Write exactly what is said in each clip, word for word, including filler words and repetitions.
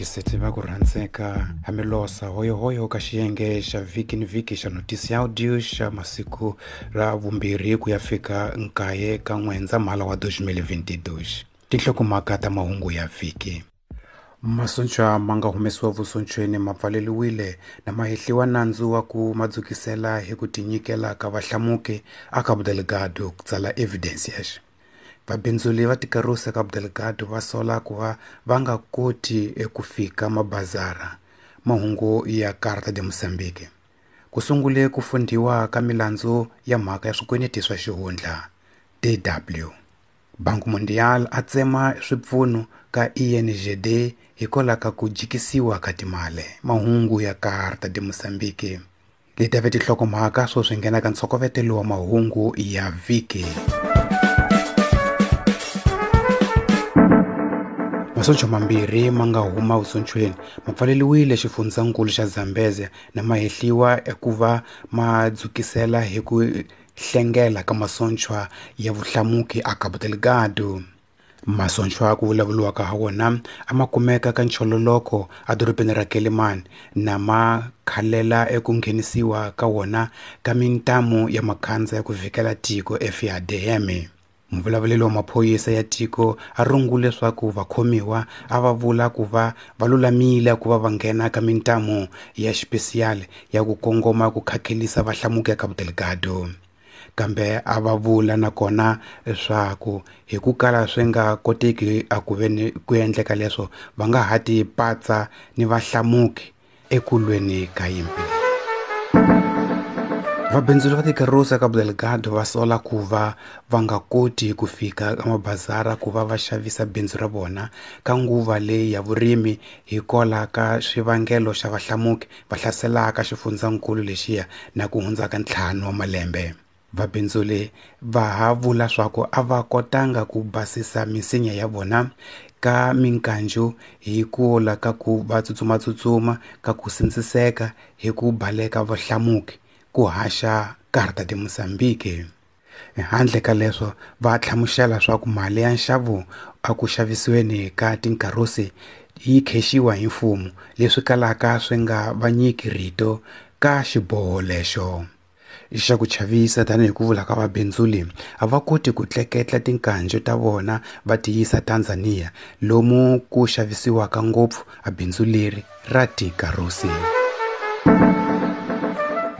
Vayingiseti va ku rhandzeka hamilosa hoyohoyo ka xiyenge xa vhiki ni vhiki xa notisi ya audio xa masiku ra vumbirhi ku ya fika nkaye ka N'wendzamhala wa twenty twenty-two. Tinhlokomhaka ta mahungu ya vhiki. Masocha ma nga humesiwa vusocheni ma pfaleriwile na ma hehliwa nandzu wa ku madzukisela hi ku tinyikela ka vahlamuki a Cabo Delgado ku tsala Evidencias. Vabindzuli va tikarusa Cabo Delgado va sola ku va va nga koti eku fika mabazara. Mahungu ya Carta de Mozambique. Ku sungule ku fundhiwa ka milandzu ya mhaka ya swikweleti swa xihundla D W. Banco Mundial a tsema swipfuno ka I N G D hikwalaho ka ku jikisiwa ka timali. Mahungu ya Carta de Mozambique. Leti ve tinhlokomhaka swo swi nghena ka ntshokovetelo wa mahungu ya vhiki. Masocha mambirhi ma nga huma vusochweni ma pfaleriwile xifundzankulu xa Zambezia na ma hehliwa eku va ma dzukisela hi ku hlengela ka masocha ya vuhlamuki a Cabo Delgado. Masocha ku vulavuriwaka ha wona a ma kumeka ka nchololoko edorobeni ra Quelimane na ma khalela eku nghenisiwa ka wona ka mintamu ya makhandza ya ku vhikela tiko F A D M. Muvulavuleri wa maphorisa ya tiko a rungule leswaku vakhomiwa a va vula ku va va lulamile ku va va nghena ka mintamu ya xipesiyali ya ku kongoma ku khakhelisa vahlamuki ya Cabo Delgado. Kambe a va vula nakona leswaku hi ku kala swi nga koteki a ku ve ni ku endleka leswo va nga ha ti patsa ni vahlamuki ekulweni ka yimpi. Vabindzuri va tikarusa Cabo Delgado va sola ku va va nga koti ku fika ka mabazara ku va va xavisa bindzu ra vona ka nguva leyi ya vurimi hikwalaho ka swivangelo xa vahlamuki va hlaselaka xifundzankulu lexiya na ku hundza ka ntlhanu wa malembe. Vabindzuri va ha vula swa ku a va kotanga ku basisa misinya ya vona ka minkanju hi ku la ka ku va tsutsumatsutsuma ka ku sindziseka hi ku baleka vahlamuki ku haxa Carta de Mozambique. Handle ka leswo va hlamusela swa ku mali ya nxavo a ku xavisiweni ka tinkarusi yi khexiwa hi mfumo leswi kalaka swi nga va nyiki rito ka xiboho lexo. Xa ku chavisa tanihi ku vula ka vabindzuli a va koti ku tleketla tinkanju ta vona va ti yisa Tanzania lomu ku xavisiwaka ngopfu a bindzu leri ra tikarusi.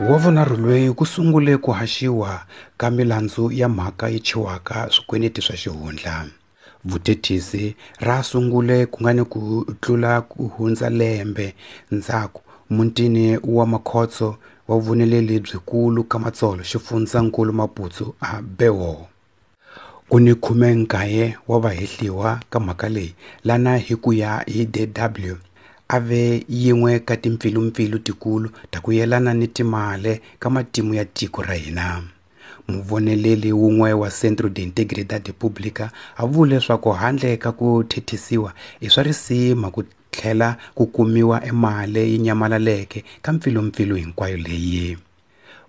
Wa vunharhu loyi ku sungule ku haxiwa ka milandzu ya mhaka yi chiwaka swikweleti swa xihundla. Vuthethisi ra sungule ku nga ni ku tlula ku hundza lembe ndzhaku mutini wa Makhotso wa vuneleli byikulu ka Matsolo xifundzankulu Maputo a Bewo. Ku ni khume nkaye wa vahehliwa ka mhaka leyi lana hi ku ya hi D W a ve yin'we ka timpfilumpfilu tikulu ta ku yelana ni timali ka matimu ya tiko ra hina. Muvoneleli wun'we wa Centro de Integridade Pública a vule leswaku handle ka ku thethisiwa i swa risima ku tlhela ku kumiwa emali yi nyamalaleke ka mpfilumpfilu hinkwayo leyi.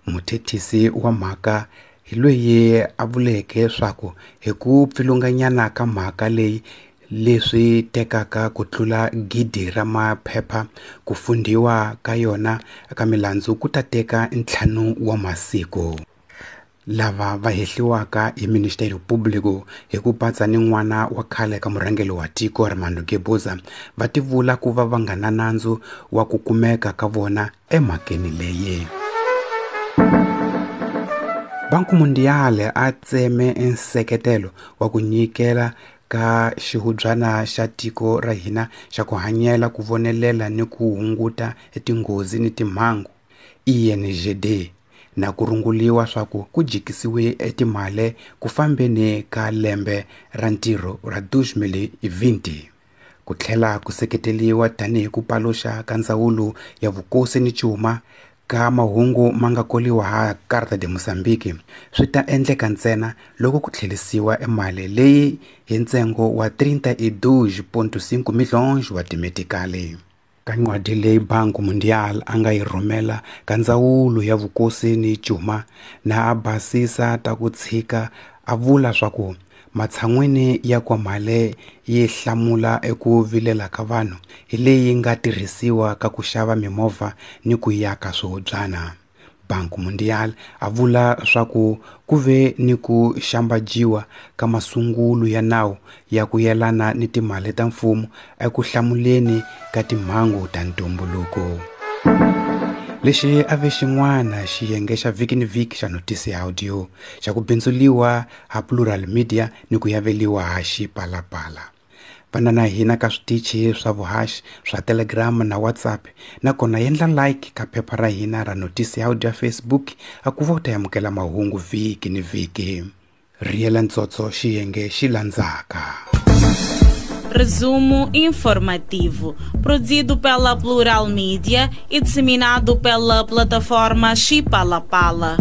Muthethisi wa mhaka hi loyi a vuleke leswaku hi ku pfilunganyana ka mhaka leyi leswi tekaka ku tlula gidi ra maphepha ku fundhiwa ka yona ka milandzu ku ta teka ntlhanu wa masiku. Lava va hehliwaka hi Ministério Público hi ku patsa ni n'wana wa khale ka murhangeri wa tiko Armando Guebuza va tivula ku va va nga na nandzu wa ku kumeka ka vona emhakeni leyi. Banco Mundial a tseme nseketelo wa ku nyikela ka xihubyana xa tiko ra hina xa ku hanyela ku vonelela ni ku hunguta tinghozi ni timhangu I N G D na ku runguliwa swa ku ku jikisiwe etimali ku fambeni ka lembe ra ntirho ra twenty twenty. Ku tlhela ku seketeliwa tanihi ku paluxa ka ndzawulo ya vukosi ni cuma ka mahungu ma nga koliwa ha Carta de Mozambique swi ta endleka ntsena loko ku tlherisiwa emali leyi hi ntsengo wa trinta e dois ponto cinco milhões wa timetikali. Ka ncwadi leyi Banco Mundial a nga yi rhumela ka ndzawulo ya vukosi ni cuma na a basisa ta ku tshika a vula swa ku Matshan'wini ya ku mali yi hlamula eku vilela ka vanhu hi leyi nga tirhisiwa ka ku xava mimovha ni ku yaka swihobyana. Banco Mundial a vula swa ku ku ve ni ku xambajiwa ka masungulo ya nawu ya ku yelana ni timali ta mfumo eku hlamuleni ka timhangu ta ntumbuluko. Lexi a ve xin'wana xiyenge xa vhiki ni vhiki xa Notisi ya Audio xa ku bindzuliwa ha Plural Media ni ku yaveliwa ha Xipalapala. Vana na hina ka switichi swa vuhaxi swa Telegram na WhatsApp, nakona endla like ka phepha ra hina ra Notisi ya Audio ya Facebook a ku va u ta amukela mahungu vhiki ni vhiki. Riyela ntsotso xiyenge xi landzaka. Resumo informativo, produzido pela Plural Media e disseminado pela plataforma Xipalapala.